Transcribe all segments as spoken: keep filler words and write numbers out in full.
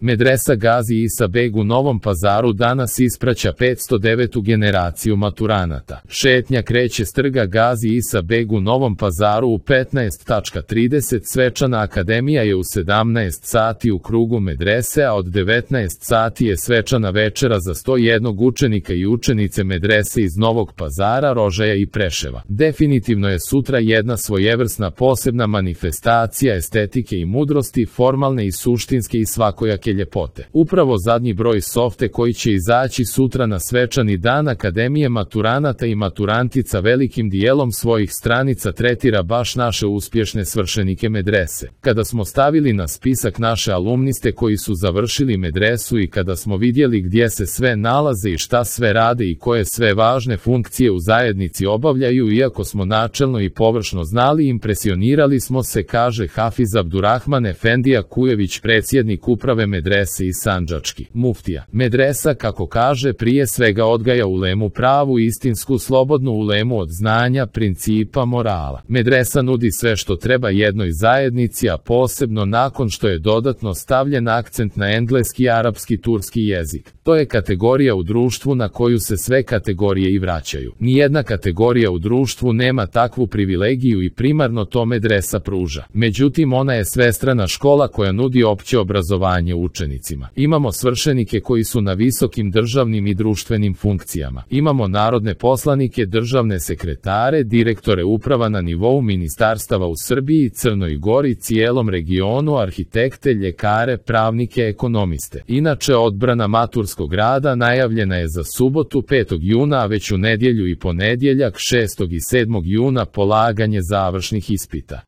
Medresa Gazi Isa Beg u Novom Pazaru danas ispraća petsto devetu generaciju maturanata. Šetnja kreće s trga Gazi Isa Beg u Novom Pazaru u petnaest trideset. Svečana akademija je u sedamnaest sati u krugu medrese, a od devetnaest sati je svečana večera za sto jednog učenika i učenice medrese iz Novog Pazara, Rožaja i Preševa. Definitivno je sutra jedna svojevrsna posebna manifestacija estetike i mudrosti, formalne i suštinske i svakojake ljepote. Upravo zadnji broj Softe koji će izaći sutra na svečani dan Akademije maturanata i maturantica velikim dijelom svojih stranica tretira baš naše uspješne svršenike medrese. Kada smo stavili na spisak naše alumniste koji su završili medresu i kada smo vidjeli gdje se sve nalaze i šta sve rade i koje sve važne funkcije u zajednici obavljaju, iako smo načelno i površno znali, impresionirali smo se, kaže Hafiz Abdurrahman Efendija Kujević, predsjednik uprave medrese i sandžački muftija. Medresa, kako kaže, prije svega odgaja ulemu, pravu, istinsku, slobodnu ulemu od znanja, principa, morala. Medresa nudi sve što treba jednoj zajednici, a posebno nakon što je dodatno stavljen akcent na engleski, arapski, turski jezik. To je kategorija u društvu na koju se sve kategorije i vraćaju. Nijedna kategorija u društvu nema takvu privilegiju i primarno to medresa pruža. Međutim, ona je svestrana škola koja nudi opće obrazovanje učenicima. Imamo svršenike koji su na visokim državnim i društvenim funkcijama. Imamo narodne poslanike, državne sekretare, direktore uprava na nivou ministarstava u Srbiji, Crnoj Gori, cijelom regionu, arhitekte, ljekare, pravnike, ekonomiste. Inače, odbrana maturskog rada najavljena je za subotu petog juna, a već u nedjelju i ponedjeljak šestog i sedmog juna polaganje završnih ispita.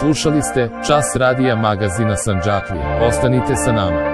Slušali ste Čas radija magazina Sandžaklije. Ostanite sa nama.